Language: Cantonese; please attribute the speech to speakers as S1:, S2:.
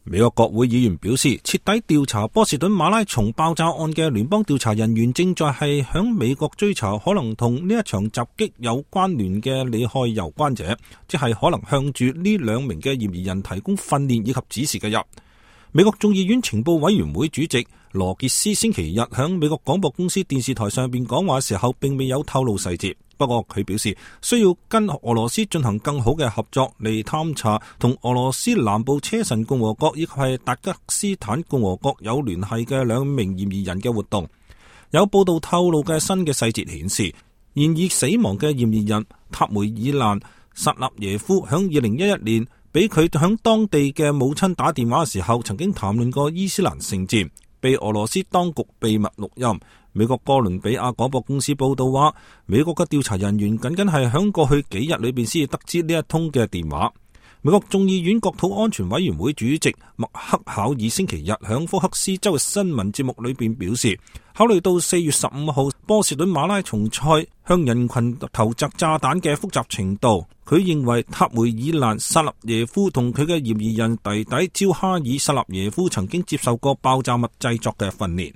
S1: 美國國會議員表示，徹底調查波士頓馬拉松爆炸案嘅聯邦調查人員正在係響美國追查可能同呢一場襲擊有關聯嘅利害攸關者，即係可能向住呢兩名嘅嫌疑人提供訓練以及指示嘅人。美國眾議院情報委員會主席羅傑斯星期日響美國廣播公司電視台上邊講話嘅時候，並未有透露細節。不過佢表示需要跟俄羅斯進行更好嘅合作嚟探查同俄羅斯南部車臣共和國以及係達吉斯坦共和國有聯繫嘅兩名嫌疑人嘅活動。有報道透露嘅新嘅細節顯示，現已死亡嘅嫌疑人塔梅爾蘭薩納耶夫響2011年俾佢響當地嘅母親打電話嘅時候，曾經談論過伊斯蘭聖戰，被俄羅斯當局秘密錄音。美國哥倫比亞廣播公司報道話，美國嘅調查人員僅係響過去幾日裏邊先至得知呢一通嘅電話。美國眾議院國土安全委員會主席麥克考爾星期日響福克斯州嘅新聞節目裏邊表示，考慮到4月15號波士頓馬拉松賽向人群投擲炸彈嘅複雜程度，佢認為塔梅爾蘭薩納耶夫同佢嘅嫌疑人弟弟焦哈爾薩納耶夫曾經接受過爆炸物製作嘅訓練。